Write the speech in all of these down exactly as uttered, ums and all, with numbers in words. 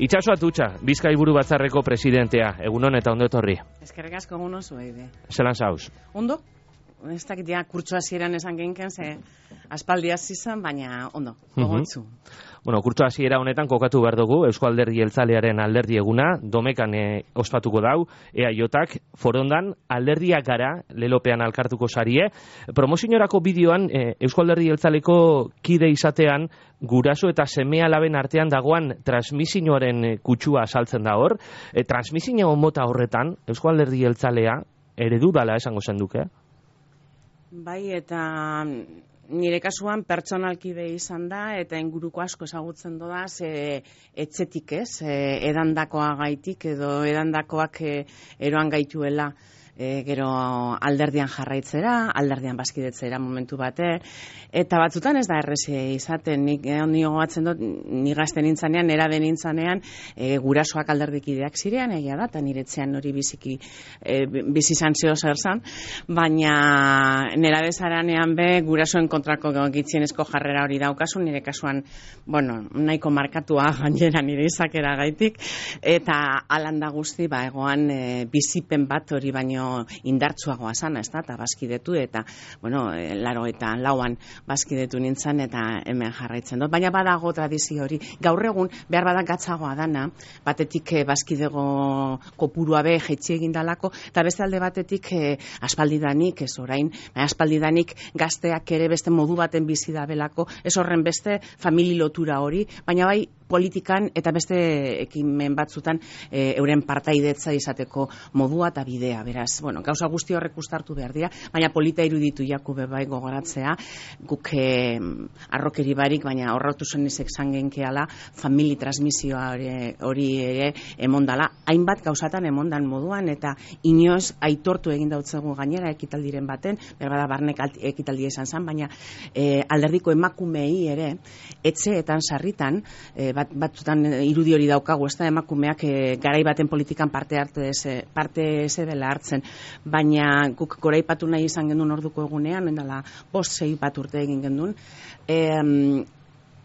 Itxaso Atutxa, Bizkai Buru Batzarreko presidentea, egunon eta ondo etorri. Eskerrik asko egun oso ere. Zelan zauz? Ondo? Ez dakit ja kurtso hasieran esan genken, ze aspaldi hasi izan, baina ondo, gogotsu. Bueno, kurtso hasiera honetan kokatu behar dugu, Eusko Alderdi Jeltzalearen alderdi eguna, domekan e, ospatuko dau, E A Jotak, forondan, alderdiak gara, lelopean alkartuko sarie. Promozioarako bideoan, e, Eusko Alderdi Jeltzaleko kide izatean, guraso eta seme alaben artean dagoan transmisioaren kutsua saltzen da hor. E, transmisio mota horretan, Eusko Alderdi Jeltzalea, eredu dala esango zenduke? Bai, eta nire kasuan pertsonalki be izan da, eta inguruko asko ezagutzen doda, ze etxetik ez, edandakoa gaitik, edo edandakoak eroan gaituela. E, gero alderdian jarraitzera, alderdian bazkidetzera momentu bate, eta batzutan ez da errezi izaten, nik ondi gogatzen dut, ni gazte nintzanean, nera den nintzanean, e, gurasoak alderdikideak zirean, egia da, eta niretzean hori biziki, e, bizi zantzio zer zan, baina nera bezaranean be, gurasoen kontrako gitzienezko jarrera hori daukazu, nire kasuan, bueno, nahiko markatua gainera nire izakera gaitik, eta alanda guzti, ba, egoan e, bizipen bat hori baino indartsuagoa sana, ez da, eta bazkidetu, eta, bueno, laro eta lauan bazkidetu nintzen, eta hemen jarraitzen dut. Baina badago tradizio hori. Gaur egun, behar badak gatzagoa dana, batetik bazkidego kopurua be, jetxi egindalako, eta beste alde batetik eh, aspaldidanik, ez orain, aspaldidanik gazteak ere beste modu baten bizi da belako, ez horren beste famili lotura hori, baina bai politikan eta beste ekimen batzutan e, euren partaidetza izateko modua eta bidea, beraz, bueno, gauza guzti horrek ustartu behar dira, baina polita iruditu jaku bebai gogoratzea, guk e, arrokeri barik, baina horrautu zen izek zangenkeala, famili transmisioa hori, hori ere emondala, hainbat gauzatan emondan moduan, eta inoz aitortu egin dautzegu gainera ekitaldiren baten, berbada barnek ekitaldia izan zen, baina e, alderdiko emakumei ere, etxeetan sarritan, e, bat, batzutan irudi hori daukagu, ez da emakumeak e, garai baten politikan parte hartu ez, parte ez dela hartzen, baina guk goraipatu nahi izan gendun orduko egunean, endala bost sei bat urte egin gendun, e,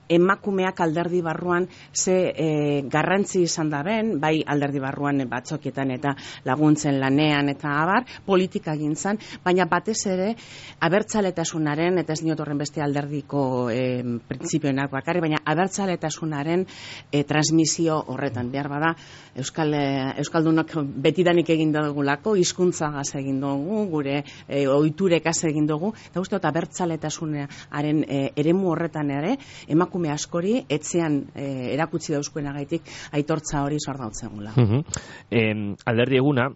emakumeak alderdi barruan ze e, garrantzi izan da ben, bai alderdi barruan batzokietan eta laguntzen lanean eta abar, politika gintzan, baina batez ere abertzaletasunaren, eta ez niot horren beste alderdiko e, printzipioenak bakarri, baina abertzaletasunaren e, transmisio horretan, behar bada Euskal, e, Euskaldunok betidanik egin dugulako, hizkuntzagaz egin dugu, gure e, ohiturekaz egin dugu, eta uste dut abertzaletasunaren e, eremu horretan ere, emakume emakume askori etxean e, erakutsi dauzkuenagaitik aitortza hori zor dautzegula. Uh -huh. eh, alderdi eguna,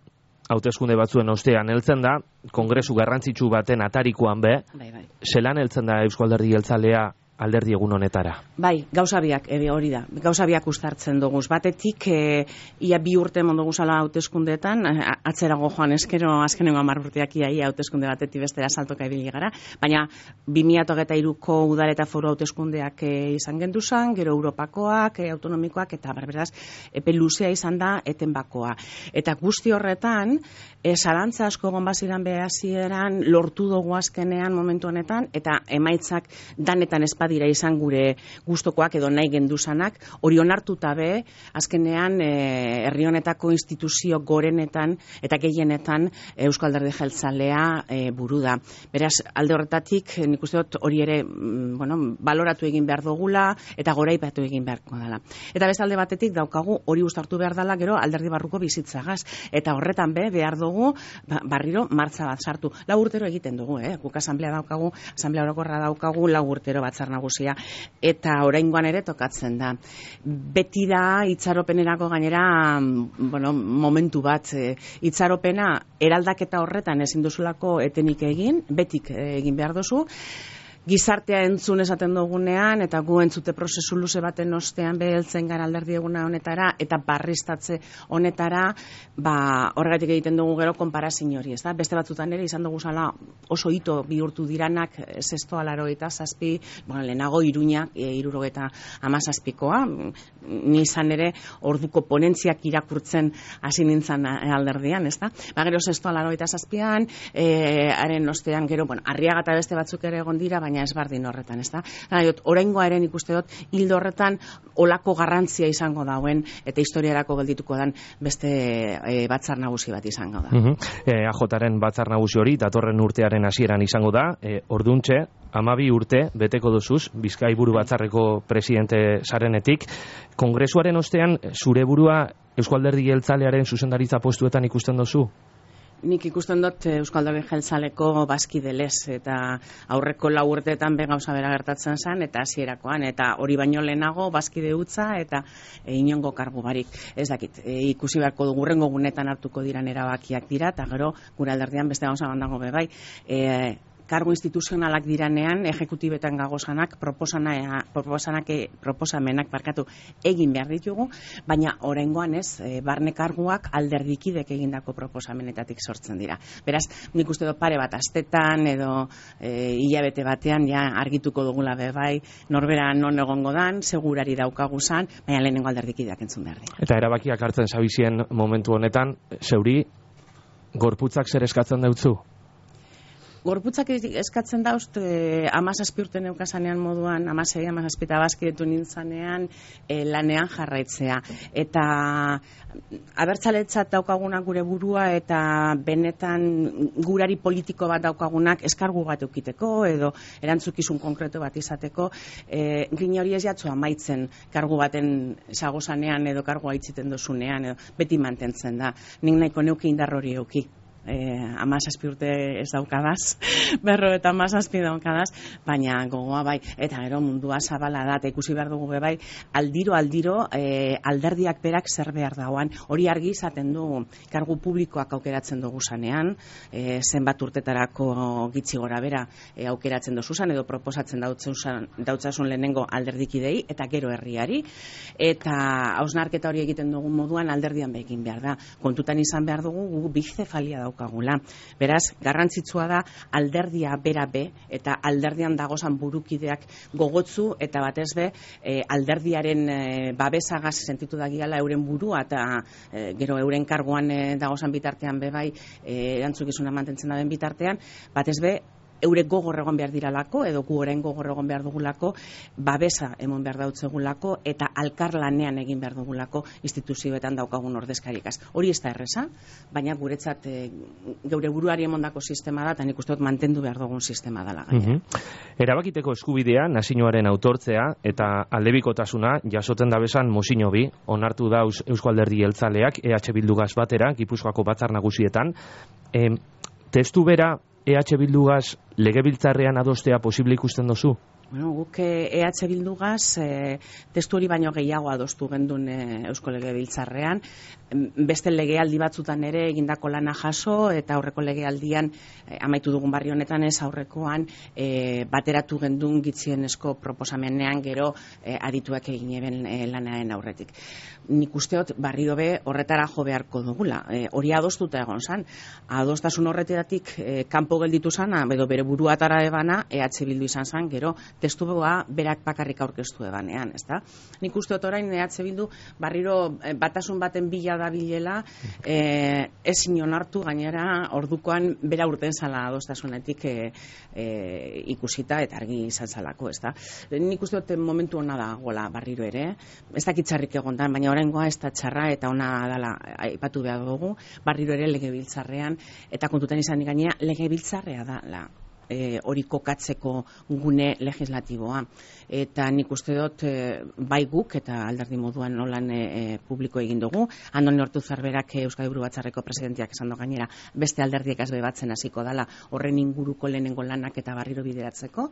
hauteskunde batzuen ostean heltzen da, kongresu garrantzitsu baten atarikoan be, bai, bai. Zelan heltzen da Eusko Alderdi Jeltzalea alderdi egun honetara? Bai, gauza biak, ebe hori da, gauza biak ustartzen dugu. Batetik, e, ia bi urte mondo guzala hauteskundeetan, atzerago joan eskero, azkenengo hamar urteak ia, ia hauteskunde batetik bestera saltoka ibili gara, baina bi mila hogeita hiruko udal eta foru hauteskundeak e, izan genduzan, gero Europakoak, e, autonomikoak, eta berberaz, epe luzea izan da etenbakoa. Eta guzti horretan, e, zalantza asko gonbaziran behazieran, lortu dugu azkenean momentu honetan, eta emaitzak danetan espat dira izan gure gustokoak edo nahi genduzanak, hori onartuta be, azkenean e, herri honetako instituzio gorenetan eta gehienetan Eusko Alderdi Jeltzalea e, buru da. Beraz, alde horretatik, nik uste dut hori ere mm, bueno, baloratu egin behar dugula eta goraipatu egin beharko dela. Eta beste alde batetik daukagu hori uztartu behar dela gero alderdi barruko bizitzagaz. Eta horretan be, behar dugu ba, barriro martza bat sartu. Lau urtero egiten dugu, eh? Guk asamblea daukagu, asamblea orokorra daukagu, lau urtero batzar nagusia, eta oraingoan ere tokatzen da. Beti da itxaropenerako gainera, bueno, momentu bat, e, itxaropena eraldaketa horretan ezin duzulako etenik egin, betik egin behar duzu, gizartea entzun esaten dugunean, eta gu entzute prozesu luze baten ostean beheltzen gara alderdi eguna honetara, eta barriztatze honetara, ba, horregatik egiten dugu gero konparazin hori, ez da? Beste batzutan ere izan dugu zala oso hito bihurtu diranak, zestoa laro eta zazpi, bueno, lehenago Iruñak, e, irurogeta amazazpikoa, ni izan ere orduko ponentziak irakurtzen hasi nintzen alderdian, ez da? Ba, gero zestoa laro eta zazpian, e, haren ostean gero, bueno, Arriaga eta beste batzuk ere egon dira, baina baina ez bardin horretan, ez da? Oraingoa eren ikuste dut, hildo horretan olako garrantzia izango dauen, eta historiarako geldituko dan beste e, batzar nagusi bat izango da. Uh-huh. e, A Jaren batzar nagusi hori, datorren urtearen hasieran izango da, e, orduntxe, hamabi urte beteko duzuz, Bizkai buru batzarreko presidente zarenetik. Kongresuaren ostean, zure burua Eusko Alderdi Jeltzalearen zuzendaritza postuetan ikusten duzu? Nik ikusten dut Eusko Alderdi Jeltzaleko bazkide lez, eta aurreko lau urteetan be gauza bera gertatzen zen, eta hasierakoan, eta hori baino lehenago bazkide utza eta e, inongo kargu barik. Ez dakit, e, ikusi beharko dugu hurrengo gunetan hartuko diran erabakiak dira, eta gero gure alderdian beste gauza bandago be bai. E, kargu instituzionalak diranean, ejekutibetan gagozanak, proposanak, proposamenak barkatu egin behar ditugu, baina oraingoan ez, e, barne karguak alderdikidek egindako proposamenetatik sortzen dira. Beraz, nik uste dut pare bat astetan edo e, hilabete batean ja argituko dugula be bai, norbera non egongo dan, segurari daukagu zan, baina lehenengo alderdikideak entzun behar dira. Eta erabakiak hartzen zabizien momentu honetan, zeuri, gorputzak zer eskatzen deutzu? Gorputzak eskatzen daust, eh, amazazpi urte neukazanean moduan, amazei, amazazpita bazkidetu nintzanean, eh, lanean jarraitzea. Eta abertzaletzat daukagunak gure burua eta benetan gurari politiko bat daukagunak eskargu bat eukiteko edo erantzukizun konkretu bat izateko, eh, gine hori ez jatzu amaitzen kargu baten zagozanean edo kargu aitziten dozunean, edo beti mantentzen da. Nik nahiko neuki indar hori euki. Eh, amazazpi urte ez daukadaz, berro eta amazazpi daukadaz, baina gogoa bai, eta gero mundua zabala da, eta ikusi behar dugu be bai, aldiro, aldiro, eh, alderdiak berak zer behar dauan, hori argi izaten du, kargu publikoak aukeratzen dugu zanean, eh, zenbat urtetarako gitzi gora bera eh, aukeratzen dugu zan, edo proposatzen dautzasun lehenengo alderdikidei, eta gero herriari, eta hausnarketa hori egiten dugun moduan alderdian begin behar da, kontutan izan behar dugu, gu bizefalia daukagula. Beraz, garrantzitsua da alderdia bera be, eta alderdian dagozan burukideak gogotzu, eta batez be, e, alderdiaren e, babesagaz sentitu dagiala euren burua, eta e, gero euren karguan e, dagozan bitartean be bai, e, erantzukizuna mantentzen daben bitartean, batez be, eure gogor egon behar diralako, edo gu orain gogor egon behar dugulako, babesa emon behar dautzegulako, eta alkar lanean egin behar dugulako instituzioetan daukagun ordezkarikaz. Hori ez da erreza, baina guretzat e, geure buruari emondako sistema da, eta nik uste dut mantendu behar dugun sistema dela gainera. Uh-huh. Erabakiteko eskubidea, nazioaren autortzea, eta aldebikotasuna, jasoten dabesan mozino bi, onartu dauz Eusko Alderdi Jeltzaleak, E H Bildugaz batera, Gipuzkoako batzar nagusietan. E, testu bera, E H Bildugaz legebiltzarrean adostea posible ikusten dozu? Bueno, guk E H Bildugaz e, testu hori baino gehiago adostu gendun e, Eusko Legebiltzarrean, beste legealdi batzutan ere egindako lana jaso, eta aurreko legealdian e, amaitu dugun barri honetan ez aurrekoan e, bateratu gendun gitzienezko proposamenean gero e, adituak egin eben e, lanaren aurretik. Nik usteot barri dobe horretara jo beharko dugula. E, hori adostuta egon zan. Adostasun horreteratik e, kanpo gelditu zana, edo bere buruatara ebana, E H Bildu izan zan, gero testua berak bakarrik aurkeztu ebanean, ezta? Nik usteot orain E H Bildu barriro e, batasun baten bila da bilela, e, ez inon hartu gainera ordukoan bera urten zala adostasunetik e, e, ikusita eta argi izan zalako, ezta? Nik usteot momentu hona da gola barriro ere, ez dakitxarrik egondan, baina oraingoa ez da txarra eta ona dala aipatu behar dugu, barriro ere legebiltzarrean, eta kontutan izan gainera legebiltzarrea da la E, hori kokatzeko gune legislatiboa. Eta nik uste dut e, bai guk eta alderdi moduan nolan e, publiko egin dugu. Andoni Ortuzar berak Euskadi Buru Batzarreko presidenteak esan do gainera beste alderdiek azbe batzen hasiko dala horren inguruko lehenengo lanak eta barriro bideratzeko.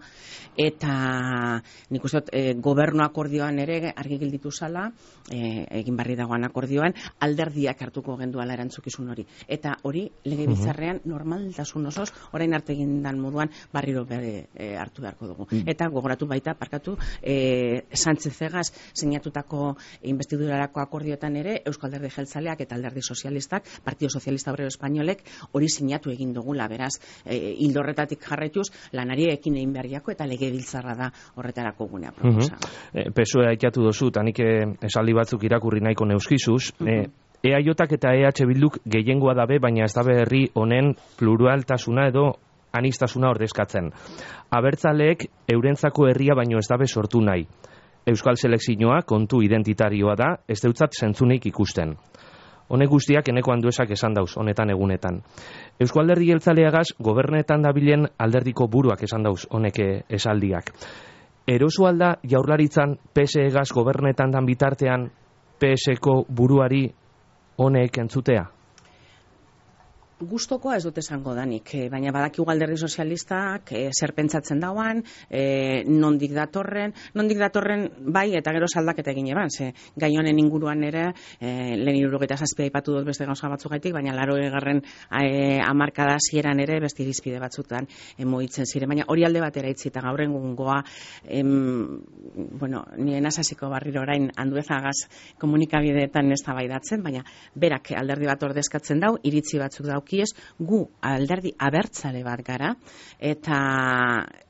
Eta nik uste dut e, gobernu akordioan ere argi gelditu zala, e, egin barri dagoan akordioan, alderdiak hartuko genduala erantzukizun hori. Eta hori legebiltzarrean normaltasun osoz, orain arte egin dan moduan barriro bere e, hartu beharko dugu. Mm. Eta gogoratu baita, parkatu, e, Sánchez-Egaz sinatutako investidurarako akordioetan ere, Euskal Alderdi Jeltzaleak eta Alderdi Sozialistak, Partido Sozialista Obrero Espainolek hori sinatu egin dugula, beraz, e, hildo horretatik jarraituz, lanari ekin egin beharriako eta legebiltzarra da horretarako gunea proposa. Uh-huh. e, P S O E aikatu dozu, tanik esaldi batzuk irakurri nahiko neuskizuz, uh-huh. e, E A Jak eta E H Bilduk gehiengoa dabe, baina ez dabe herri honen pluraltasuna edo anistasuna ordezkatzen. Abertzaleek eurentzako herria baino ez dabe sortu nahi. Euskal selekzioa kontu identitarioa da, ez deutzat zentzunik ikusten. Honek guztiak eneko handuesak esan dauz, honetan egunetan. Eusko Alderdi Jeltzaleagaz, gobernetan dabilen alderdiko buruak esan dauz, honeke esaldiak. Eroso alda jaurlaritzan P S E-gaz gobernetan dan bitartean P S-ko buruari honek entzutea? Gustokoa ez dut esango danik, baina badakigu Alderdi Sozialistak e, zer pentsatzen dauan, e, nondik datorren, nondik datorren bai eta gero saldaketa egin eban, ze gai honen inguruan ere, e, lehen hirurogeita zazpi aipatu dut beste gauza batzugaitik, baina laurogeigarren e, hamarkada hasieran ere beste irizpide batzutan e, mugitzen ziren, baina hori alde batera itzi eta gaur egungoa, em, bueno, nien asasiko barriro orain Anduezagaz komunikabideetan ez tabaidatzen, baina berak alderdi bat ordezkatzen dau, iritzi batzuk dau kiez, gu alderdi abertzale bat gara, eta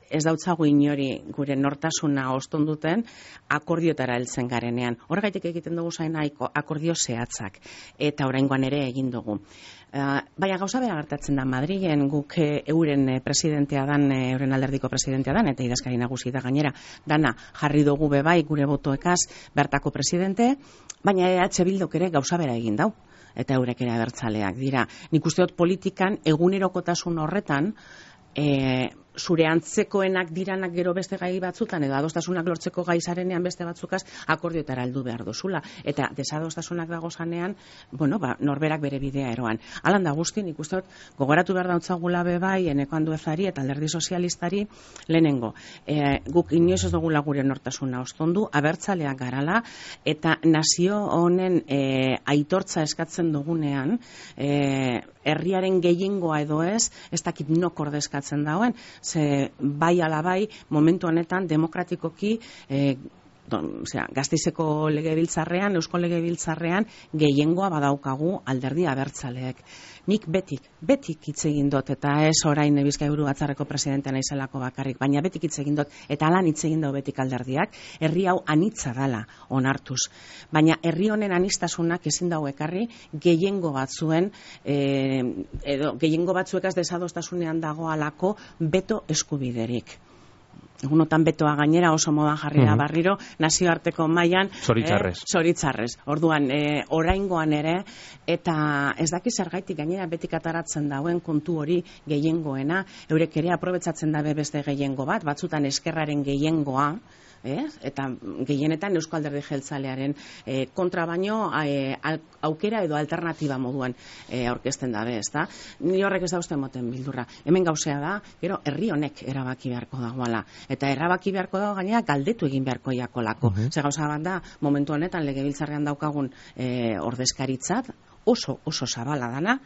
ez dautzagu inori gure nortasuna ostonduten akordiotara heltzen garenean. Horregaitik egiten dugu zaina akordio zehatzak, eta oraingoan ere egin dugu. Uh, baina gauza bera gertatzen da Madrilen, guk euren presidentea dan, euren alderdiko presidentea dan, eta idazkari nagusi da gainera, dana jarri dugu bebai gure botoekaz bertako presidente, baina E H Bilduk ere gauza bera egin dau. Eta eurek ere abertzaleak dira. Nik uste dut politikan egunerokotasun horretan e, zure antzekoenak diranak gero beste gai batzutan edo adostasunak lortzeko gai zarenean beste batzukaz akordioetara heldu behar dozula. Eta desadostasunak dago zanean, bueno, ba, norberak bere bidea eroan. Alan da guzti, nik uste dut gogoratu behar dautzagula bebai eneko Anduezari eta alderdi sozialistari lehenengo. E, guk inoiz ez dugula gure nortasuna ostondu, abertzaleak garala eta nazio honen e, aitortza eskatzen dugunean, e, herriaren gehiengoa edo ez, ez dakit nok ordezkatzen dauen, ze bai ala bai momentu honetan demokratikoki e, don, osea, Gasteizeko legebiltzarrean, Eusko legebiltzarrean gehiengoa badaukagu alderdi abertzaleek. Nik betik, betik hitz egin dut, eta ez orain Bizkaiburu Batzarreko presidentea naizelako bakarrik, baina betik hitz egin dut, eta lan hitz egin dut betik alderdiak, herri hau anitza dala onartuz. Baina herri honen anistasunak ezin dago ekarri gehiengo batzuen, e, edo gehiengo batzuekaz desadostasunean dagoalako beto eskubiderik. Egunotan betoa gainera oso modan jarri da barriro, nazioarteko mailan Zoritzarrez. Eh, zoritzarrez. Orduan, eh, oraingoan ere, eta ez daki zergaitik gainera betik ataratzen dauen kontu hori gehiengoena, eurek ere aprobetsatzen dabe beste gehiengo bat, batzutan eskerraren gehiengoa, Eh? eta gehienetan Eusko Alderdi Jeltzalearen eh, kontra baino eh, aukera edo alternatiba moduan eh, aurkezten dabe, ezta? Ni horrek ez da uste moten bildurra. Hemen gauzea da, gero herri honek erabaki beharko dagoala. Eta erabaki beharko dago gainera galdetu egin beharko jakolako. Uh-huh. Ze gauza bat da, momentu honetan legebiltzarrean daukagun eh, ordezkaritzat, oso oso zabala dana,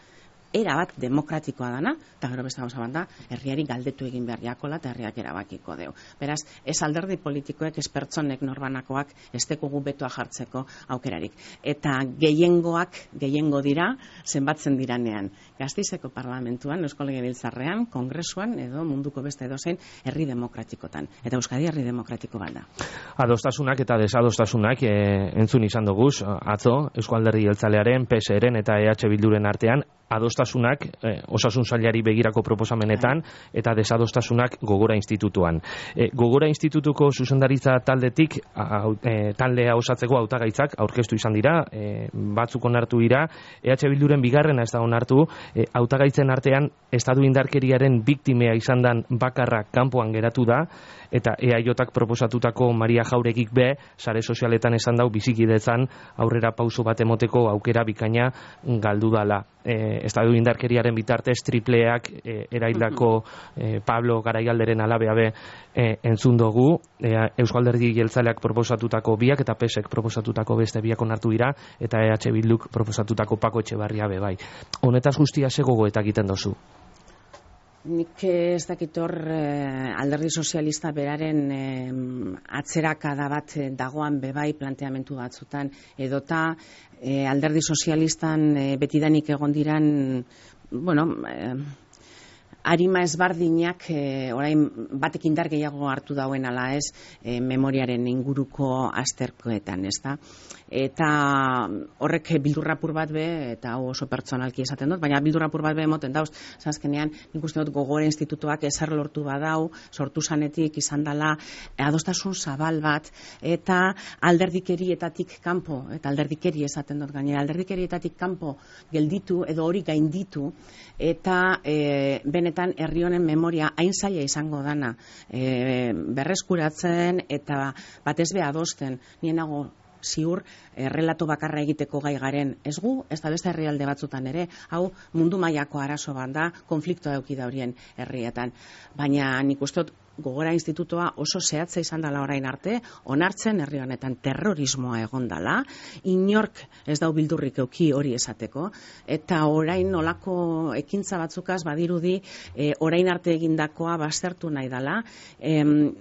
era bat demokratikoa dana, eta gero beste gauza bat da, herriari galdetu egin behar jakola eta herriak erabakiko deu. Beraz, ez alderdi politikoek, ez pertsonek norbanakoak, ez dekugu betoa jartzeko aukerarik. Eta gehiengoak, gehiengo dira, zenbatzen diranean. Gasteizeko parlamentuan, Eusko Legebiltzarrean, kongresuan, edo munduko beste edozein, herri demokratikotan. Eta Euskadi herri demokratiko bat da. Adostasunak eta desadostasunak e, entzun izan duguz, atzo, Eusko Alderdi Jeltzalearen, P S E-ren eta E H Bilduren artean, adostasunak eh, osasun sailari begirako proposamenetan eta desadostasunak Gogora Institutuan. E, Gogora Institutuko zuzendaritza taldetik a, e, taldea osatzeko hautagaitzak aurkeztu izan dira, e, batzuk onartu dira, E H Bilduren bigarrena ez da onartu, e, hautagaitzen artean estatu indarkeriaren biktimea izan dan bakarra kanpoan geratu da, eta E A J-ak proposatutako Maria Jauregik be, sare sozialetan esan dau bizikidetzan aurrera pauso bat emoteko aukera bikaina galdu dala. E, estatu indarkeriaren bitartez tripleak e, eraildako e, Pablo Garaialderen alabea be e, entzun dugu, e, Eusko Alderdi Jeltzaleak proposatutako biak eta P S E-k proposatutako beste biak onartu dira, eta E H Bilduk proposatutako Pako Etxebarria be bai. Honetaz guztia ze gogoeta egiten dozu? Nik ez dakit hor eh, alderdi sozialista beraren eh, atzerakada bat dagoan bebai planteamentu batzutan, edota eh, alderdi sozialistan eh, betidanik egon diran, bueno, eh, arima ezbardinak e, orain batek indar gehiago hartu dauen ala ez e, memoriaren inguruko azterkoetan, ezta? Eta horrek bildurrapur bat be, eta hau oso pertsonalki esaten dut, baina bildurrapur bat be emoten dauz, zazkenean nik uste dut Gogora Institutuak ezer lortu badau, sortu zanetik izan dela adostasun zabal bat, eta alderdikerietatik kanpo, eta alderdikeri esaten dut gainera, alderdikerietatik kanpo gelditu edo hori gainditu, eta e, benetan herri honen memoria hain zaila izango dana e, berreskuratzen eta batez be adosten, nien nago ziur, eh, relato bakarra egiteko gai garen ez gu, ez da beste herrialde batzutan ere, hau mundu mailako arazo bat da, konfliktoa eduki da horien herrietan. Baina nik uste dut Gogora Institutoa oso zehatza izan dela orain arte, onartzen herri honetan terrorismoa egon dela, inork ez dau bildurrik euki hori esateko, eta orain nolako ekintza batzukaz badirudi eh, orain arte egindakoa baztertu nahi dela, em,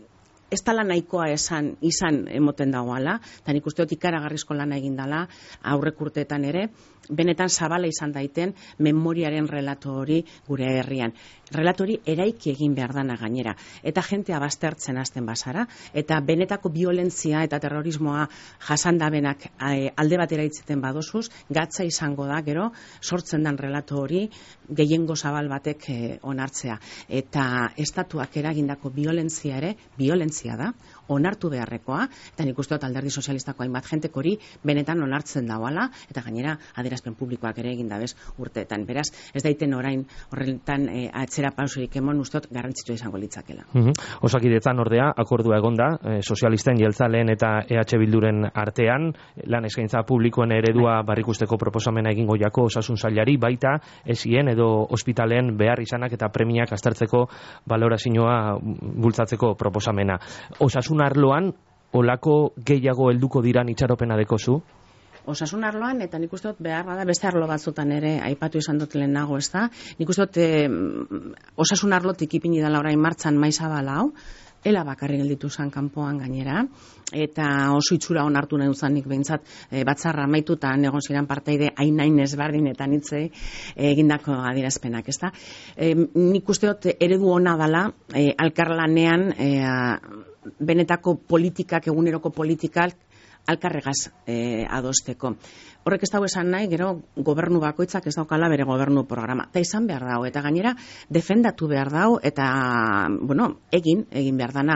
ez tala nahikoa esan, izan emoten dagoala, eta nik uste dut ikaragarrizko lana egin dela aurrek urteetan ere, benetan zabala izan daiten memoriaren relato hori gure herrian. Relato hori eraiki egin behar dana gainera, eta jentea baztertzen hasten bazara, eta benetako violentzia eta terrorismoa jasandabenak alde batera itzeten badozuz, gatza izango da, gero, sortzen dan relato hori gehiengo zabal batek eh, onartzea. Eta estatuak eragindako violentzia ere, violentzia da, onartu beharrekoa, eta nik uste dut Alderdi Sozialistako hainbat jentek hori benetan onartzen dagoala, eta gainera adierazpen publikoak ere egin dabez urteetan. Beraz, ez daiten orain horretan e, atzera pausurik emon uste dut garrantzitsua izango litzakela. Mm-hmm. Osakidetzan ordea, akordua egonda, e, sozialisten, jeltzaleen eta E H Bilduren artean, lan eskaintza publikoen eredua barrikusteko proposamena egingo jako osasun sailari, baita esien edo ospitalen behar izanak eta premiak aztertzeko balorazioa bultzatzeko proposamena. Osasun arloan, olako gehiago helduko diran itxaropena dekozu? Osasun arloan, eta nik uste dut behar bada beste arlo batzutan ere aipatu izan dut lehenago, ez da? Nik uste dut eh, osasun arlotik ipini dela orain martxan maizabala hau, ela bakarri gelditu zen kanpoan gainera, eta oso itxura onartu nahi duzanik behintzat e, batzarra amaitu eta egon ziren parteide hain-hain ezberdinetan hitzei egindako adierazpenak, ezta? E, nik uste dut eredu ona dela e, alkarlanean e, benetako politikak, eguneroko politikak alkarregaz e, adosteko. Horrek ez dago esan nahi, gero gobernu bakoitzak ez daukala bere gobernu programa. Eta izan behar dago, eta gainera defendatu behar dago, eta, bueno, egin, egin behar dana.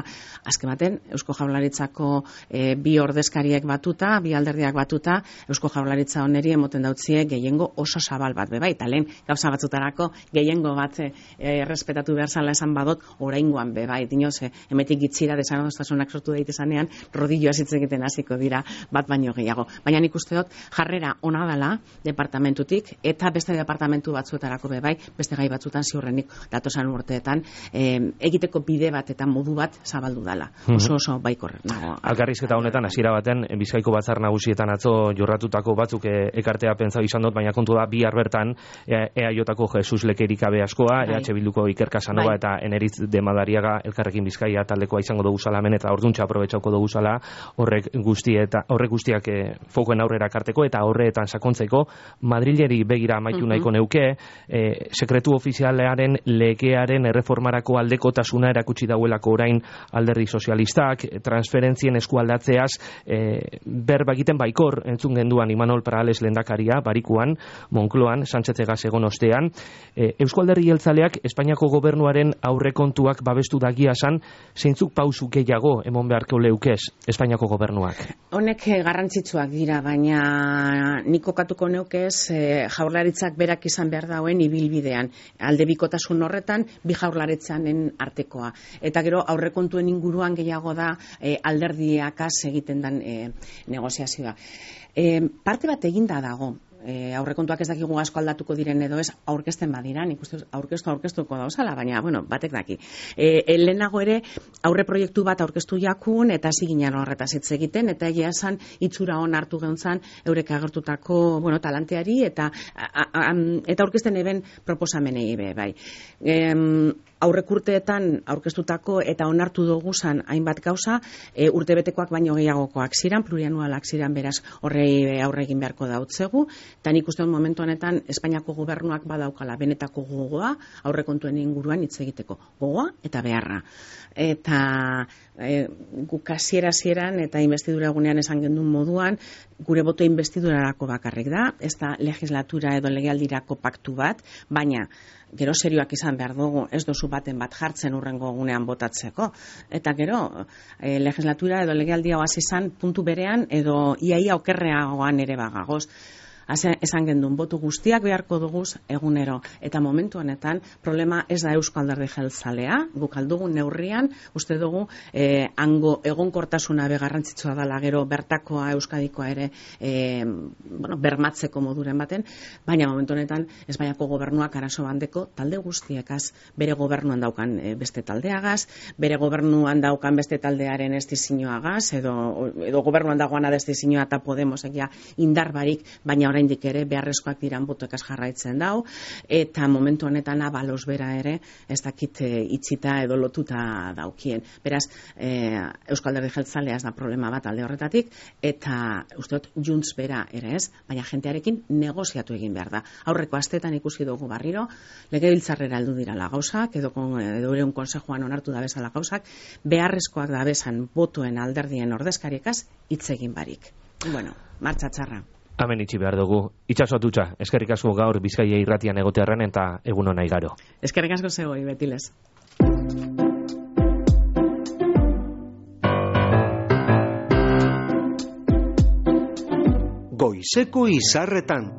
Azken baten, Eusko Jaurlaritzako e, bi ordezkariek batuta, bi alderdiak batuta, Eusko Jaurlaritza oneri emoten dautzie gehiengo oso zabal bat beba, eta lehen gauza batzutarako gehiengo bat e, errespetatu behar zala esan badot, oraingoan beba, dinoz, e, emetik gitzira desanadostasunak sortu daitezanean, rodilloa hitz egiten hasiko dira bat baino gehiago. Baina nik uste dut, jarrera ona dela departamentutik, eta beste departamentu batzuetarako bebai, beste gai batzutan ziurrenik datosan urteetan, eh, egiteko bide bat eta modu bat zabaldu dela. Oso oso baikor nago. Alkarrizketa honetan, hasiera baten, Bizkaiko batzar nagusietan atzo jorratutako batzuk e, ekartea pentsa izan dut, baina kontu da, bihar bertan, E A Jko Jesus Lekerikabe askoa, bai. E H Bilduko Iker Casanova, bai. Eta Eneritz de Madariaga Elkarrekin Bizkaia taldekoa izango dugu zala hemen, eta orduntxa aprobetxauko dugu zala horrek guzti eta horrek guztiak e, fokoen aurrera karteko, eta horretan sakontzeko Madrileri begira amaitu uh-huh. nahiko neuke, e, sekretu ofizialearen legearen erreformarako aldekotasuna erakutsi dauelako orain Alderdi Sozialistak, transferentzien eskualdatzeaz e, berba egiten baikor entzun genduan Imanol Parales lehendakaria barikuan, Moncloan, Sánchez egaz egon ostean. E, Eusko Alderdi Jeltzaleak Espainiako gobernuaren aurrekontuak babestu dagia san, zeintzuk pausu gehiago emon beharko leukez Espainiako gobernuak? Honek garrantzitsuak dira, baina nik kokatuko neukez e, jaurlaritzak berak izan behar dauen ibilbidean. Aldebikotasun horretan, bi jaurlaritzanen artekoa. Eta gero aurrekontuen inguruan gehiago da e, alderdiakaz egiten den e, negoziazioa. E, parte bat eginda dago. E, aurrekontuak ez dakigu asko aldatuko diren edo ez aurkezten badira, nik uste aurkeztu aurkeztuko dauzala, baina, bueno, batek daki. E, lehenago ere, aurre proiektu bat aurkeztu jakun, eta hasi ginen horretaz hitz egiten, eta egia esan itxura hon hartu geuntzan eurek agertutako, bueno, talanteari, eta a, a, eta aurkezten eben proposamenei be, bai. E, aurrekurteetan aurkeztutako eta onartu dugu zan hainbat gauza, e, urtebetekoak baino gehiagokoak ziran, plurianualak ziran, beraz horrei aurre egin beharko dautzegu, Eta nik uste dut momentu honetan Espainiako gobernuak badaukala benetako gogoa aurrekontuen inguruan hitz egiteko. Gogoa eta beharra. Eta e, guk hasiera hasieran eta investidura egunean esan gendun moduan, gure boto investidurarako bakarrik da, ez da legislatura edo legealdirako paktu bat, baina gero serioak izan behar dugu, ez dozu baten bat jartzen urrengo egunean botatzeko. Eta gero, e, legislatura edo legealdia hasi izan puntu berean edo iaia okerreagoan ere bagagoz. Esan gendun, botu guztiak beharko duguz egunero. Eta momentu honetan, problema ez da Eusko Alderdi Jeltzalea, guk aldugun neurrian, uste dugu, eh, hango egonkortasuna begarrantzitsua dela gero bertakoa Euskadikoa ere eh, bueno, bermatzeko moduren baten, baina momentu honetan Espainiako gobernuak arazo bandeko talde guztiekaz, bere gobernuan daukan eh, beste taldeagaz, bere gobernuan daukan beste taldearen estizinoagaz, edo, edo gobernuan dagoana da estizinoa eta Podemosek ja indarbarik, baina oraindik ere beharrezkoak diran botoekaz jarraitzen dau, eta momentu honetan abalos bera ere ez dakit e, itxita edo lotuta daukien. Beraz, e, Eusko Alderdi Jeltzalea ez da problema bat alde horretatik, eta uste dut Junts bera ere ez, baina jentearekin negoziatu egin behar da. Aurreko astetan ikusi dugu barriro, legebiltzarrera heldu dirala gauzak, edo, edo ereun konsejoan onartu da bezala gauzak, beharrezkoak da bezan botoen alderdien ordezkariekaz hitz egin barik. Bueno, martxa txarra. Hemen itxi behar dugu. Itxasotutxa, eskerrik asko gaur Bizkaia irratian egotearren eta egun hona igaro. Eskerrik asko zegoi, betilez. Goizeko izarretan.